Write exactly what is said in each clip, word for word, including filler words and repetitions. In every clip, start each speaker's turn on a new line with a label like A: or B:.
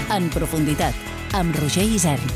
A: En profunditat, amb Roger Isern.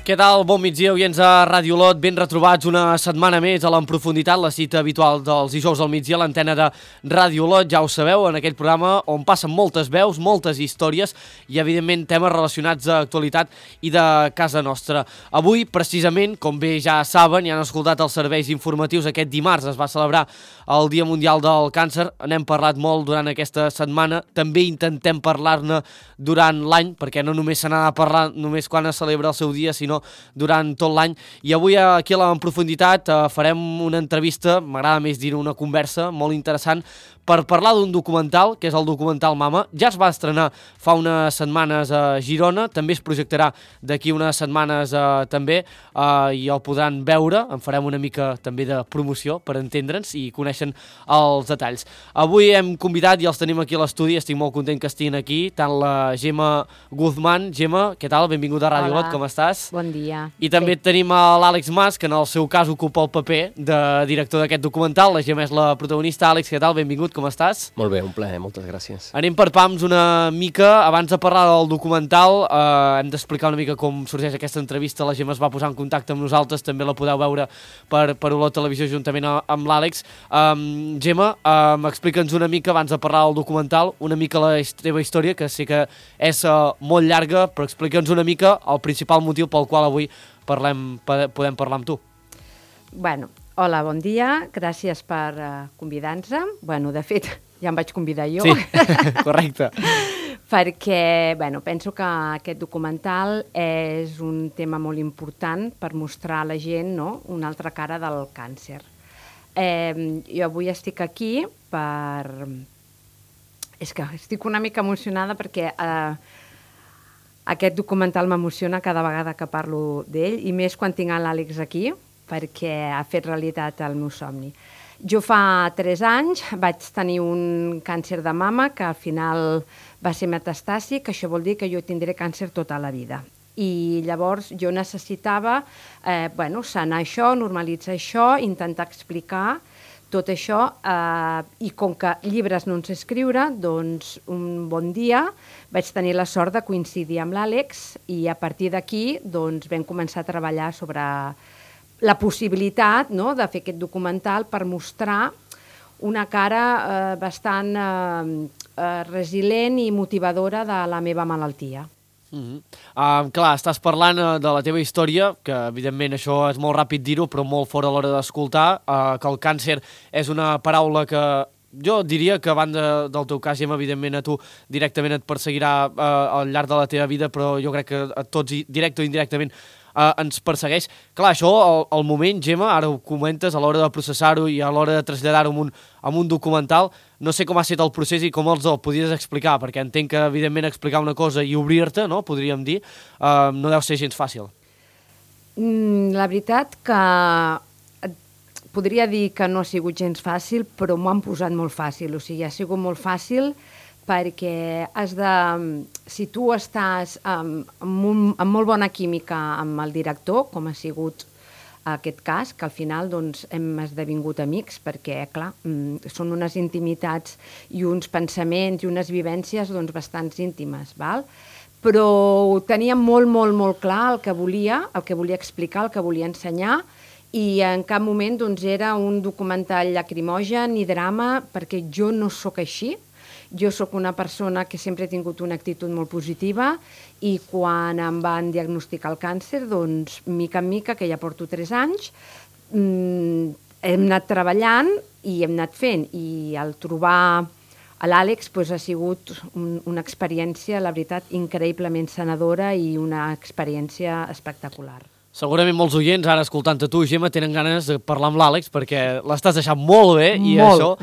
B: Què tal? Bon migdia, oients de Ràdio Olot, ben retrobats una setmana més a l'En Profunditat, la cita habitual dels dijous al migdia a l'antena de Ràdio Olot, ja ho sabeu, en aquell programa on passen moltes veus, moltes històries i, evidentment, temes relacionats d'actualitat i de casa nostra. Avui, precisament, com bé ja saben i han escoltat els serveis informatius, aquest dimarts es va celebrar el Dia Mundial del Càncer, n'hem parlat molt durant aquesta setmana, també intentem parlar-ne durant l'any, perquè no només se n'ha de parlar només quan es celebra el seu dia, sinó durant tot l'any. I avui aquí a l'En Profunditat eh, farem una entrevista, m'agrada més dir una conversa molt interessant, per parlar d'un documental, que és el documental Mama. Ja es va estrenar fa unes setmanes a Girona, també es projectarà d'aquí unes setmanes eh, també, eh, i el podran veure, en farem una mica també de promoció per entendre'ns i coneixen els detalls. Avui hem convidat i els tenim aquí a l'estudi, estic molt content que estiguin aquí, tant la Gemma Guzmán. Gemma, què tal? Benvinguda a Ràdio Olot, com estàs?
C: Bon dia.
B: I també sí. Tenim a l'Àlex Mas, que en el seu cas ocupa el paper de director d'aquest documental. La Gemma és la protagonista. Àlex, què tal? Benvingut, com estàs?
D: Molt bé, un plaer, moltes gràcies.
B: Anem per pams una mica. Abans de parlar del documental, eh, hem d'explicar una mica com sorgeix aquesta entrevista. La Gemma es va posar en contacte amb nosaltres, també la podeu veure per, per Olot Televisió juntament amb l'Àlex. Um, Gemma, um, explica'ns una mica, abans de parlar del documental, una mica la teva història, que sé que és uh, molt llarga, però explica'ns una mica el principal motiu pel qual avui parlem, podem parlar amb tu.
C: Bueno, hola, bon dia, gràcies per uh, convidar-nos. Bueno, de fet, ja em vaig convidar jo.
B: Sí, correcte.
C: Perquè, bueno, penso que aquest documental és un tema molt important per mostrar a la gent, no?, una altra cara del càncer. Eh, jo avui estic aquí per... És que estic una mica emocionada perquè eh, aquest documental m'emociona cada vegada que parlo d'ell, i més quan tinc l'Àlex aquí, perquè ha fet realitat el meu somni. Jo fa tres anys vaig tenir un càncer de mama que al final va ser metastàsic, que això vol dir que jo tindré càncer tota la vida. I llavors jo necessitava eh, bueno, sanar això, normalitzar això, intentar explicar tot això, eh, i com que llibres no en sé escriure, doncs un bon dia vaig tenir la sort de coincidir amb l'Àlex i a partir d'aquí doncs, vam començar a treballar sobre la possibilitat, no?, de fer aquest documental per mostrar una cara eh, bastant eh, eh, resilient i motivadora de la meva malaltia.
B: Mm-hmm. uh, clar, estàs parlant uh, de la teva història, que evidentment això és molt ràpid dir-ho, però molt fora a l'hora d'escoltar, uh, que el càncer és una paraula que jo diria que a banda del teu cas, Gemma, evidentment a tu directament et perseguirà uh, al llarg de la teva vida, però jo crec que a tots, directe o indirectament, uh, ens persegueix. Clar, això, al, al moment, Gemma, ara ho comentes, a l'hora de processar-ho i a l'hora de traslladar-ho en, un, en un documental, no sé com ha estat el procés i com els el podies explicar, perquè entenc que, evidentment, explicar una cosa i obrir-te, no?, podríem dir, uh, no deu ser gens fàcil.
C: Mm, la veritat que podria dir que no ha sigut gens fàcil, però m'ho han posat molt fàcil. O sigui, ha sigut molt fàcil perquè has de... Si tu estàs amb, amb, un, amb molt bona química amb el director, com ha sigut aquest cas, que al final doncs, hem esdevingut amics, perquè, clar, són unes intimitats i uns pensaments i unes vivències doncs, bastants íntimes, val? Però ho tenia molt, molt, molt clar el que volia, el que volia explicar, el que volia ensenyar, i en cap moment doncs, era un documental lacrimogen ni drama, perquè jo no sóc així. Jo sóc una persona que sempre he tingut una actitud molt positiva i quan em van diagnosticar el càncer, doncs, mica en mica, que ja porto tres anys, mmm, hem anat treballant i hem anat fent. I al trobar l'Àlex doncs, ha sigut un, una experiència, la veritat, increïblement sanadora i una experiència espectacular.
B: Segurament molts oients, ara escoltant-te tu, Gemma, tenen ganes de parlar amb l'Àlex perquè l'estàs deixant molt bé i
C: molt.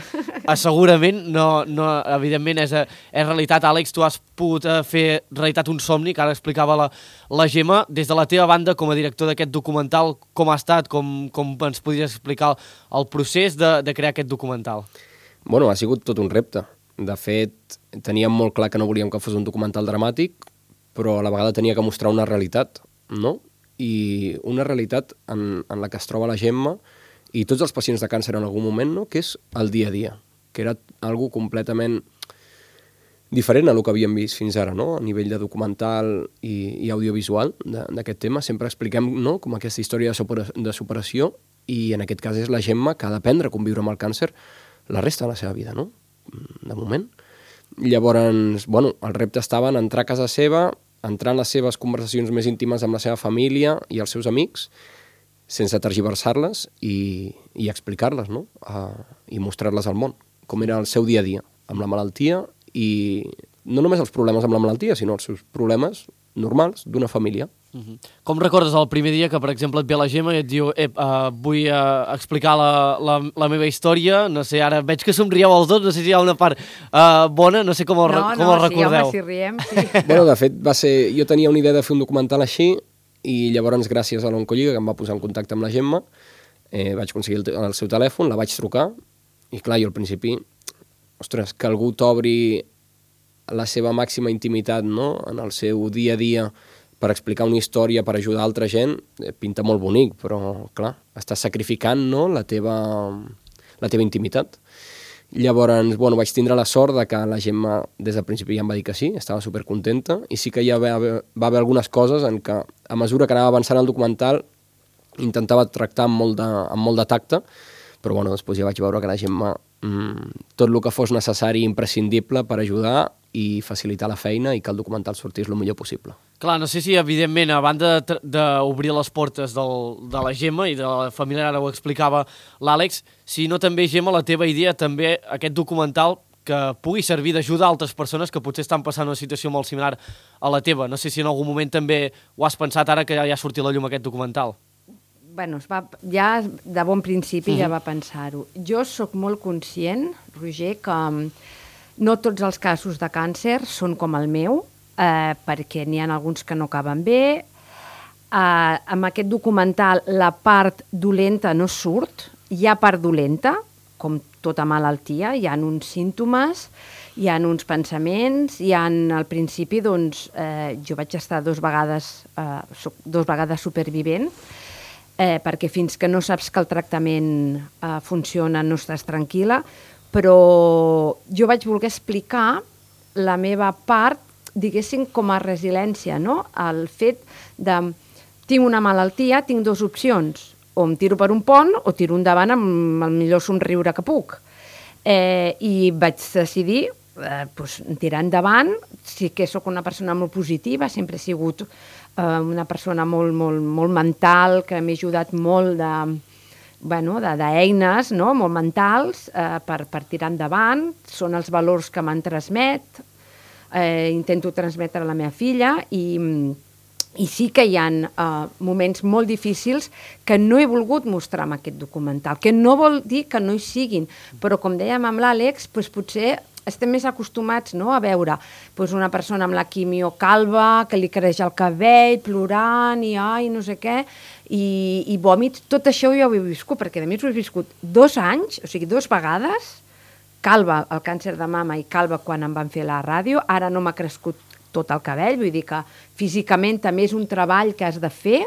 B: Això segurament, no, no, evidentment, és, és realitat. Àlex, tu has pogut fer realitat un somni, que ara explicava la, la Gemma. Des de la teva banda, com a director d'aquest documental, com ha estat, com, com ens podries explicar el, el procés de, de crear aquest documental?
D: Bueno, ha sigut tot un repte. De fet, teníem molt clar que no volíem que fos un documental dramàtic, però a la vegada tenia que mostrar una realitat, no? I una realitat en, en la que es troba la Gemma i tots els pacients de càncer en algun moment, no? Que és el dia a dia, que era algo completament diferent a el que havíem vist fins ara, no? A nivell de documental i, i audiovisual d'aquest tema. Sempre expliquem, no? Com aquesta història de, supera, de superació, i en aquest cas és la Gemma que ha d'aprendre a conviure amb el càncer la resta de la seva vida, no? De moment. Llavors, bueno, el repte estava en entrar a casa seva, entrar en les seves conversacions més íntimes amb la seva família i els seus amics, sense tergiversar-les i, i explicar-les, no? Uh, I mostrar-les al món, com era el seu dia a dia, amb la malaltia, i no només els problemes amb la malaltia, sinó els seus problemes normals d'una família.
B: Uh-huh. Com recordes el primer dia que, per exemple, et ve la Gemma i et diu eh, uh, vull uh, explicar la, la, la meva història, no sé, ara veig que somrieu els dos, no sé si hi ha una part uh, bona, no sé com el,
C: no,
B: com
C: no,
B: el recordeu.
C: No, sí, home, si riem, sí.
D: Bueno, de fet, va ser... jo tenia una idea de fer un documental així, i llavors, gràcies a l'Oncolliga, que em va posar en contacte amb la Gemma, eh, vaig aconseguir el, el seu telèfon, la vaig trucar, i clar, jo al principi, ostres, que algú t'obri la seva màxima intimitat, no?, en el seu dia a dia per explicar una història, per ajudar altra gent, eh, pinta molt bonic, però, clar, estàs sacrificant, no?, la teva, la teva intimitat. Llavors, bueno, vaig tindre la sort de que la Gemma des del principi ja em va dir que sí, estava supercontenta, i sí que hi va haver, va haver algunes coses en què, a mesura que anava avançant el documental, intentava tractar amb molt de, amb molt de tacte, però bueno, després ja vaig veure que la Gemma mmm, tot el que fos necessari i imprescindible per ajudar i facilitar la feina i que el documental sortís el millor possible.
B: Clar, no sé si, evidentment, a banda d'obrir les portes del, de la Gemma i de la família, ara ho explicava l'Àlex, si no també, Gemma, la teva idea, també aquest documental que pugui servir d'ajuda a altres persones que potser estan passant una situació molt similar a la teva. No sé si en algun moment també ho has pensat ara que ja ha sortit a la llum aquest documental.
C: Bueno, es va, ja de bon principi uh-huh. ja va pensar-ho. Jo sóc molt conscient, Roger, que no tots els casos de càncer són com el meu, eh, perquè n'hi ha alguns que no acaben bé. Eh, amb aquest documental la part dolenta no surt, hi ha part dolenta, com tota malaltia, hi ha uns símptomes, hi ha uns pensaments, hi ha al principi, doncs, eh, jo vaig estar dos vegades, eh, dos vegades supervivent, eh, perquè fins que no saps que el tractament eh, funciona no estàs tranquil·la, però jo vaig voler explicar la meva part, diguéssim, com a resiliència, no? El fet de... Tinc una malaltia, tinc dues opcions. O em tiro per un pont o tiro endavant amb el millor somriure que puc. Eh, I vaig decidir eh, pues, tirar endavant. Sí que sóc una persona molt positiva, sempre he sigut eh, una persona molt, molt, molt mental, que m'ha ajudat molt de... bueno, d'eines, no?, molt mentals eh, per, per tirar endavant, són els valors que m'han transmet, eh, intento transmetre a la meva filla i, i sí que hi ha eh, moments molt difícils que no he volgut mostrar amb aquest documental, que no vol dir que no hi siguin, però com dèiem amb l'Àlex, doncs potser estem més acostumats, no?, a veure doncs una persona amb la quimio calva, que li creix el cabell, plorant i ai, no sé què, i, i vòmits. Tot això jo ho he viscut, perquè a més ho he viscut dos anys, o sigui, dues vegades, calva el càncer de mama i calva quan em van fer la ràdio, ara no m'ha crescut tot el cabell, vull dir que físicament també és un treball que has de fer,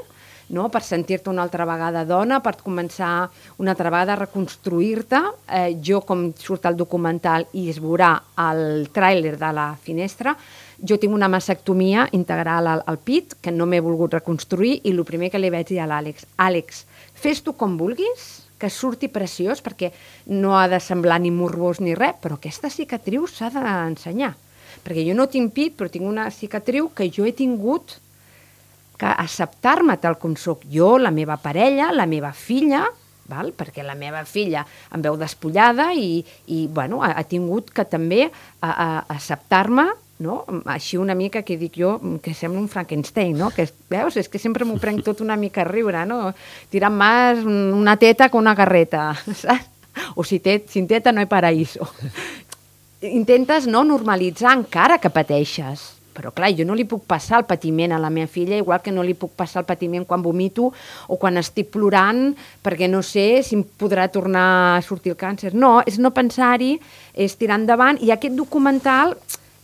C: no?, per sentir-te una altra vegada dona, per començar una altra vegada a reconstruir-te. Eh, jo, com surt el documental i es veurà el tràiler de la finestra, jo tinc una mastectomia integral al, al pit, que no m'he volgut reconstruir, i el primer que li vaig dir a l'Àlex, Àlex, fes tu com vulguis, que surti preciós, perquè no ha de semblar ni morbós ni res, però aquesta cicatriu s'ha d'ensenyar. Perquè jo no tinc pit, però tinc una cicatriu que jo he tingut que acceptar-me tal com soc jo, la meva parella, la meva filla, val? Perquè la meva filla em veu despullada i, i bueno, ha, ha tingut que també a, a, acceptar-me, no? Així una mica que dic jo, que sembla un Frankenstein, no? Que, veus? És que sempre m'ho prenc tot una mica a riure, no? Tirant més una teta que una carreta, saps? O si té, sin teta no hi paraíso. Intentes no normalitzar encara que pateixes. Però clar, jo no li puc passar el patiment a la meva filla, igual que no li puc passar el patiment quan vomito o quan estic plorant perquè no sé si em podrà tornar a sortir el càncer. No, és no pensar-hi, és tirar endavant, i aquest documental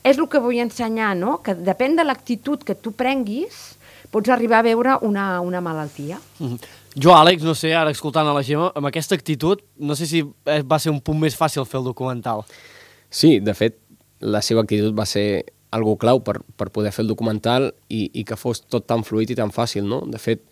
C: és el que vull ensenyar, no? Que depèn de l'actitud que tu prenguis, pots arribar a veure una, una malaltia.
B: Mm-hmm. Jo, Àlex, no sé, ara escoltant a la Gemma, amb aquesta actitud, no sé si va ser un punt més fàcil fer el documental.
D: Sí, de fet, la seva actitud va ser algo clau per, per poder fer el documental i, i que fos tot tan fluid i tan fàcil, no? De fet,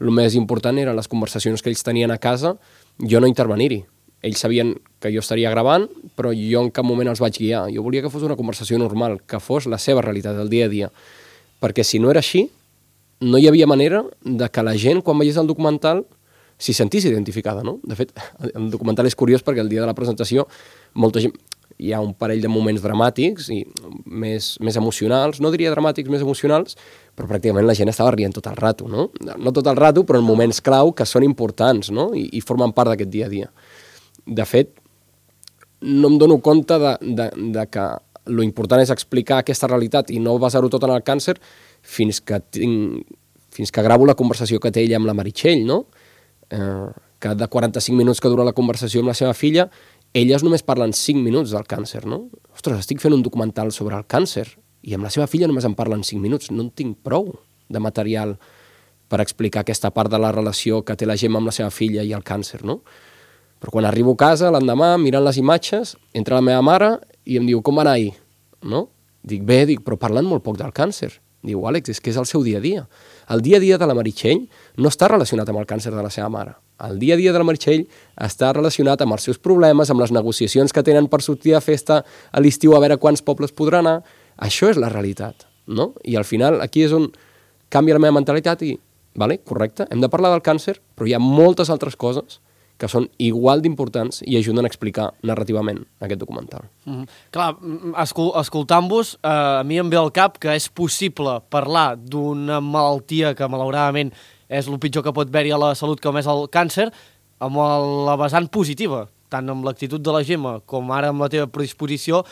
D: el més important eren les conversacions que ells tenien a casa, jo no intervenir-hi. Ells sabien que jo estaria gravant, però jo en cap moment els vaig guiar. Jo volia que fos una conversació normal, que fos la seva realitat, el dia a dia. Perquè si no era així, no hi havia manera de que la gent, quan veiés el documental, s'hi sentís identificada, no? De fet, el documental és curiós perquè el dia de la presentació molta gent... hi ha un parell de moments dramàtics i més, més emocionals, no diria dramàtics, més emocionals, però pràcticament la gent estava rient tot el rato, no? No tot el rato, però en moments clau que són importants, no? I, i formen part d'aquest dia a dia. De fet, no em dono compte de, de, de que lo important és explicar aquesta realitat i no basar-ho tot en el càncer fins que, tinc, fins que gravo la conversació que té ella amb la Meritxell, no? Eh, que de quaranta-cinc minuts que dura la conversació amb la seva filla, elles només parlen cinc minuts del càncer, no? Ostres, estic fent un documental sobre el càncer i amb la seva filla només en parlen cinc minuts. No en tinc prou de material per explicar aquesta part de la relació que té la Gemma amb la seva filla i el càncer, no? Però quan arribo a casa, l'endemà, mirant les imatges, entra la meva mare i em diu, com va anar ahir? No? Dic, bé, dic, però parlant molt poc del càncer. Diu, Àlex, és que és el seu dia a dia. El dia a dia de la Meritxell no està relacionat amb el càncer de la seva mare. El dia a dia de la Meritxell està relacionat amb els seus problemes, amb les negociacions que tenen per sortir a festa a l'estiu a veure quants pobles podrà anar. Això és la realitat, no? I al final aquí és on canvia la meva mentalitat i, vale, correcte, hem de parlar del càncer, però hi ha moltes altres coses que són igual d'importants i ajuden a explicar narrativament aquest documental.
B: Mm-hmm. Clar, escol escoltant-vos, eh, a mi em ve al cap que és possible parlar d'una malaltia que malauradament és el pitjor que pot haver-hi a la salut, com és el càncer, amb la vessant positiva, tant amb l'actitud de la Gemma com ara amb la teva predisposició,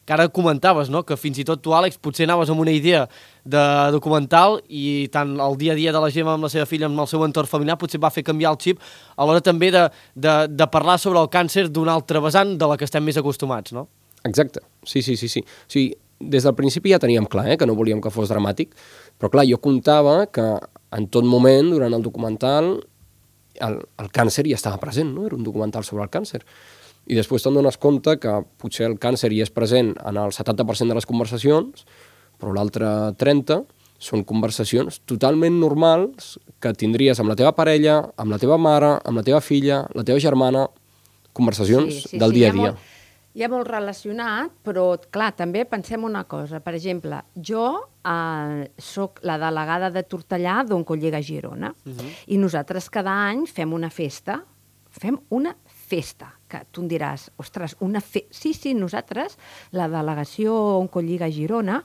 B: que ara comentaves, no? Que fins i tot tu, Àlex, potser anaves amb una idea de documental i tant el dia a dia de la Gemma amb la seva filla, amb el seu entorn familiar, potser va fer canviar el xip a l'hora també de, de, de parlar sobre el càncer d'una altra vessant de la que estem més acostumats, no?
D: Exacte, sí, sí, sí. sí. O sigui, des del principi ja teníem clar eh, que no volíem que fos dramàtic, però clar, jo comptava que en tot moment, durant el documental, el, el càncer ja estava present, no? Era un documental sobre el càncer. I després te'n dones compte que potser el càncer hi és present en el setanta per cent de les conversacions, però l'altre trenta per cent són conversacions totalment normals que tindries amb la teva parella, amb la teva mare, amb la teva filla, la teva germana, conversacions sí, sí, del sí, dia a dia.
C: Hi ha molt relacionat, però, clar, també pensem una cosa. Per exemple, jo eh, soc la delegada de Tortellà d'Oncollega Girona uh-huh. i nosaltres cada any fem una festa, fem una festa, que tu em diràs, ostres, una festa... Sí, sí, nosaltres, la delegació Oncolliga Girona,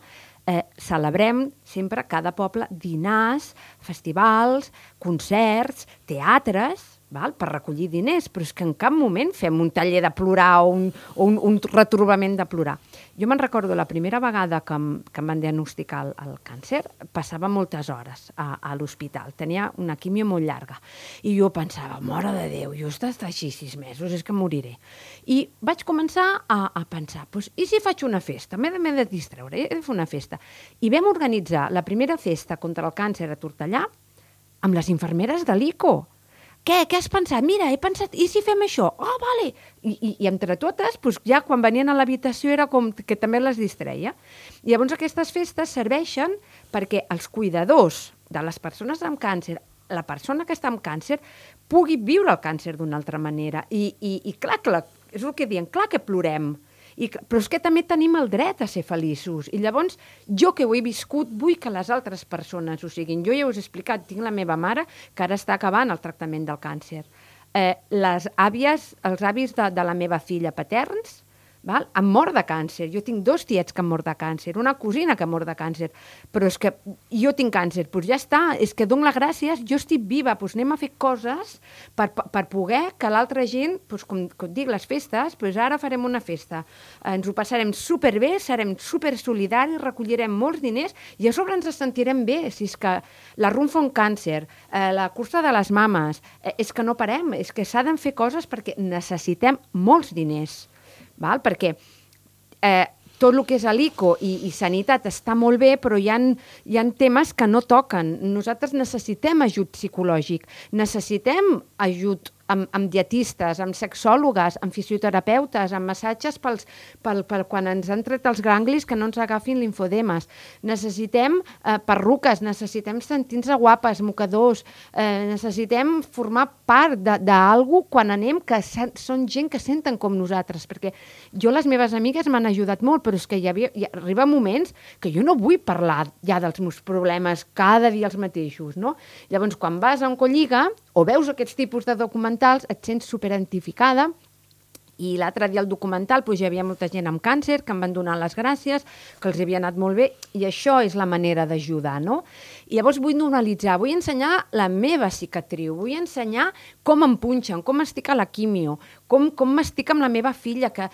C: eh, celebrem sempre cada poble dinars, festivals, concerts, teatres, val? Per recollir diners, però és que en cap moment fem un taller de plorar o un, o un, un retrobament de plorar. Jo me'n recordo la primera vegada que em, que em van diagnosticar el, el càncer, passava moltes hores a, a l'hospital, tenia una quimio molt llarga, i jo pensava, mare de Déu, jo he estat així sis mesos, és que moriré. I vaig començar a, a pensar, pues, i si faig una festa? M'he de, m'he de distreure, he de fer una festa. I vam organitzar la primera festa contra el càncer a Tortellà amb les infermeres de l'I C O. Què? Què has pensat? Mira, he pensat, i si fem això? Oh, vale! I, i, i entre totes, doncs ja quan venien a l'habitació era com que també les distreia. I llavors aquestes festes serveixen perquè els cuidadors de les persones amb càncer, la persona que està amb càncer, pugui viure el càncer d'una altra manera. I, i, i clar, clar, és el que diem, clar que plorem, I, però és que també tenim el dret a ser feliços. I llavors, jo que ho he viscut, vull que les altres persones ho siguin. Jo ja us he explicat, tinc la meva mare que ara està acabant el tractament del càncer. Eh, les àvies, els avis de, de la meva filla paterns, val? Han mort de càncer. Jo tinc dos tiets que han mort de càncer, una cosina que ha mort de càncer, però és que jo tinc càncer, doncs ja està, és que dono les gràcies, jo estic viva, doncs anem a fer coses per, per poder que l'altra gent, doncs com, com dic, les festes, doncs ara farem una festa, ens ho passarem superbé, serem supersolidaris, recollirem molts diners i a sobre ens sentirem bé, si és que la Run fa un càncer, eh, la cursa de les mames, eh, és que no parem, és que s'ha de fer coses perquè necessitem molts diners. Val? Perquè eh, tot el que és l'I C O i, i sanitat està molt bé, però hi ha, hi ha temes que no toquen. Nosaltres necessitem ajut psicològic, necessitem ajut amb, amb dietistes, amb sexòlogues, amb fisioterapeutes, amb massatges pels, pel, pel, quan ens han tret els ganglis que no ens agafin linfodemes. Necessitem eh, perruques, necessitem sentir-nos guapes, mocadors, eh, necessitem formar part d'algú quan anem que són gent que senten com nosaltres, perquè jo, les meves amigues m'han ajudat molt, però és que hi havia, hi arriba moments que jo no vull parlar ja dels meus problemes cada dia els mateixos, no? Llavors, quan vas a Oncolliga o veus aquests tipus de documentals, et sents superidentificada. I l'altre dia al documental doncs, hi havia molta gent amb càncer que em van donar les gràcies, que els havia anat molt bé, i això és la manera d'ajudar, no? I llavors vull normalitzar, vull ensenyar la meva cicatriu, vull ensenyar com em punxen, com estic a la quimio, com, com m'estic amb la meva filla, que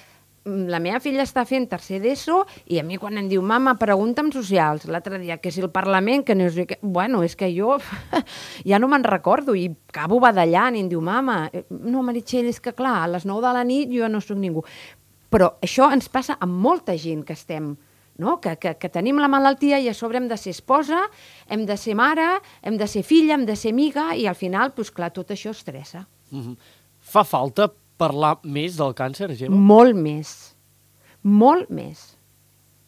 C: la meva filla està fent tercer d'ESO i a mi quan em diu, mama, pregunta'm socials, l'altre dia, que si el Parlament, que no sé què... Bueno, és que jo ja no me'n recordo i acabo badallant i em diu, mama, no, Meritxell, és que clar, a les nou de la nit jo no soc ningú. Però això ens passa amb molta gent que estem, no? que, que, que tenim la malaltia i a sobre hem de ser esposa, hem de ser mare, hem de ser filla, hem de ser amiga i al final, doncs clar, tot això estressa.
B: Mm-hmm. Fa falta parlar més del càncer, Gemma?
C: Molt més. Molt més.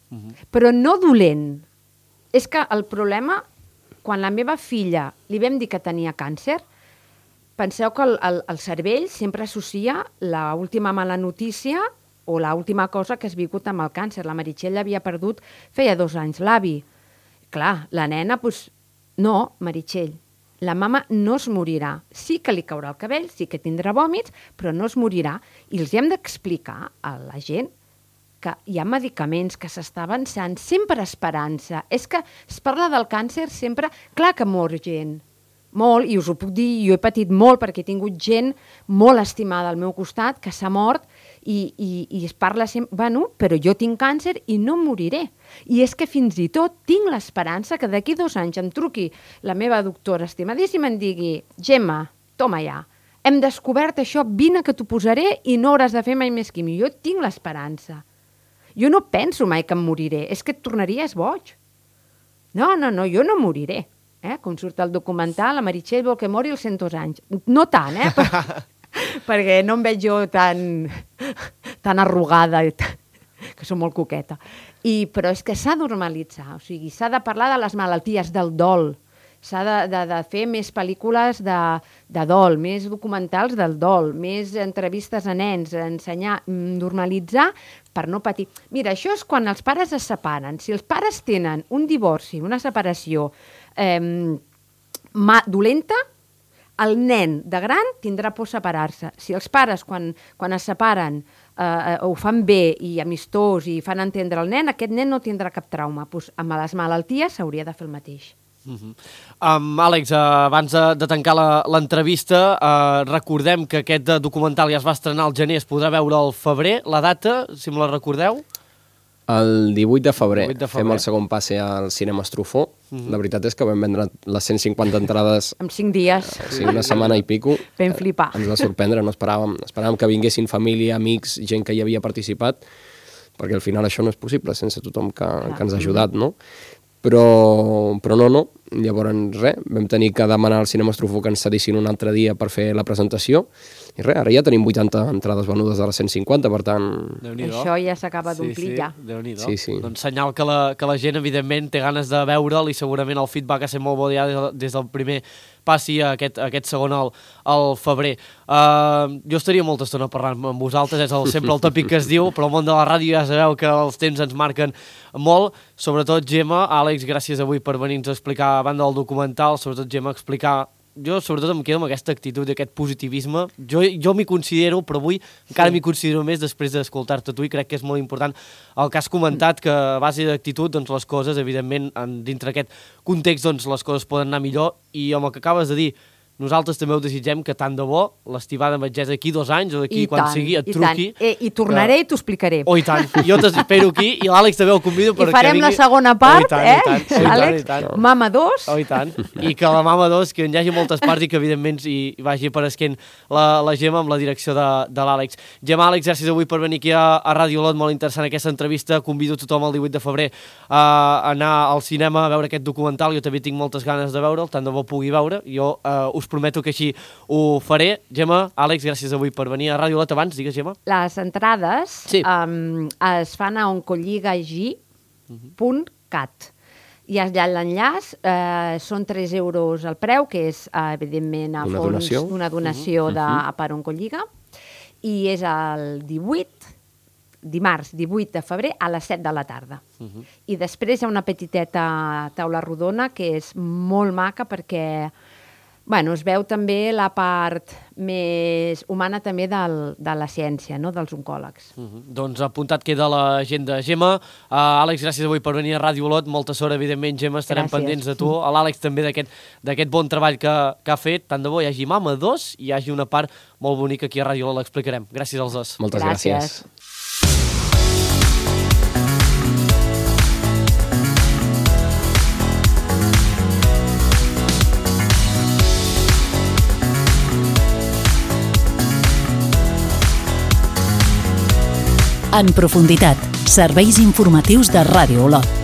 C: Uh-huh. Però no dolent. És que el problema, quan la meva filla li vam dir que tenia càncer, penseu que el, el, el cervell sempre associa l'última mala notícia o l'última cosa que has viscut amb el càncer. La Meritxell havia perdut feia dos anys l'avi. Clar, la nena, doncs, no, Meritxell, la mama no es morirà. Sí que li caurà el cabell, sí que tindrà vòmits, però no es morirà. I els hem d'explicar a la gent que hi ha medicaments, que s'està avançant, sempre esperança. És que es parla del càncer sempre... Clar que mor gent, molt, i us ho puc dir, jo he patit molt perquè he tingut gent molt estimada al meu costat que s'ha mort i, i, i es parla sempre... Bueno, però jo tinc càncer i no moriré. I és que fins i tot tinc l'esperança que d'aquí dos anys em truqui la meva doctora estimadíssima i em digui, Gemma, toma ja, hem descobert això, vine que t'ho posaré i no hauràs de fer mai més quimio. Jo tinc l'esperança. Jo no penso mai que em moriré, és que et tornaries boig. No, no, no, jo no moriré. Eh? Com surt el documental, la Meritxell vol que mori als cent dos anys. No tant, eh? Però, perquè no em veig jo tan, tan arrugada, que soc molt coqueta. I, però és que s'ha de normalitzar, o sigui, s'ha de parlar de les malalties, del dol, s'ha de, de, de fer més pel·lícules de, de dol, més documentals del dol, més entrevistes a nens, ensenyar, normalitzar per no patir. Mira, això és quan els pares es separen. Si els pares tenen un divorci, una separació eh, ma, dolenta, el nen de gran tindrà por separar-se. Si els pares, quan, quan es separen, eh, ho fan bé i amistós i fan entendre el nen, aquest nen no tindrà cap trauma. Pues, amb les malalties s'hauria de fer el mateix.
B: Uh-huh. um, Àlex, uh, abans de, de tancar l'entrevista, uh, recordem que aquest documental ja es va estrenar al gener, es podrà veure al febrer. La data, si me la recordeu?
D: El divuit de febrer,
B: divuit de febrer.
D: Fem el segon passe al cinema Estrufó. Uh-huh. La veritat és que vam vendre les cent cinquanta entrades...
C: En cinc dies.
D: O sigui, una setmana i pico.
C: Vam flipar.
D: Ens va sorprendre, no esperàvem. Esperàvem que vinguessin família, amics, gent que hi havia participat, perquè al final això no és possible sense tothom que, que ens ha ajudat, no? Però, però no, no. Llavors, res, vam tenir que demanar al cinema Estrufó que ens cedissin un altre dia per fer la presentació. I res, ara ja tenim vuitanta entrades venudes de les cent cinquanta, per tant...
C: Això ja s'acaba d'omplir,
B: sí, sí.
C: ja.
B: Déu-n'hi-do.
D: Sí, sí.
B: Doncs senyal que la, que la gent, evidentment, té ganes de veure'l i segurament el feedback ha estat molt bo ja des, des del primer passi a aquest, a aquest segon al, al febrer. Uh, jo estaria molta estona parlant amb vosaltres, és el, sempre el tòpic que es diu, però el món de la ràdio ja sabeu que els temps ens marquen molt. Sobretot, Gemma, Àlex, gràcies avui per venir-nos a explicar a banda del documental, sobretot, Gemma, explicar... Jo, sobretot, em quedo amb aquesta actitud i aquest positivisme. Jo, jo m'hi considero, però avui encara sí. m'hi considero més després d'escoltar-te tu i crec que és molt important el que has comentat, que a base d'actitud, doncs, les coses, evidentment, en, dintre aquest context, doncs, les coses poden anar millor i amb el que acabes de dir, nosaltres també ho desitgem que tant de bo l'estivada metgessa d'aquí dos anys o d'aquí
C: I
B: quan
C: tant,
B: sigui et
C: i
B: truqui.
C: tant. I, I tornaré
B: que...
C: i t'ho explicaré.
B: Oh, i tant. Jo t'espero aquí i l'Àlex també el convido perquè
C: I farem
B: vingui...
C: la segona part,
B: oh, tant,
C: eh,
B: tant, oh,
C: Àlex?
B: tant, tant.
C: Mama dos.
B: Oh, i tant. I que la Mama dos, que hi hagi moltes parts i que evidentment hi, hi vagi apareixent la, la Gemma amb la direcció de, de l'Àlex. Gemma, Àlex, gràcies avui per venir aquí a, a Ràdio Olot, molt interessant aquesta entrevista. Convido tothom el divuit de febrer a anar al cinema a veure aquest documental. Jo també tinc moltes ganes de veure'l, tant de bo pugui veure. Jo eh, us prometo que així ho faré. Gemma, Àlex, gràcies avui per venir a Ràdio Olot. Abans, digues, Gemma.
C: Les entrades
B: Sí.
C: um, es fan a oncolligag punt cat. I allà l'enllaç eh, són tres euros el preu, que és, eh, evidentment, a
D: Una
C: fons
D: donació.
C: d'una donació de, per Oncolliga, i és el divuit, dimarts divuit de febrer a les set de la tarda.
B: Uh-huh.
C: I després hi ha una petiteta taula rodona que és molt maca perquè bueno, es veu també la part més humana també del, de la ciència, no? Dels oncòlegs.
B: Uh-huh. Doncs apuntat queda l'agenda. Gemma, uh, Àlex, gràcies avui per venir a Ràdio Olot. Molta sort, evidentment, Gemma, estarem
C: Gràcies.
B: pendents de tu. A l'Àlex també d'aquest bon treball que, que ha fet. Tant de bo hi hagi Mama dos i hi hagi una part molt bonica aquí a Ràdio Olot, l'explicarem. Gràcies als dos.
D: Moltes gràcies.
C: Gràcies.
A: En profunditat, serveis informatius de Ràdio Olot.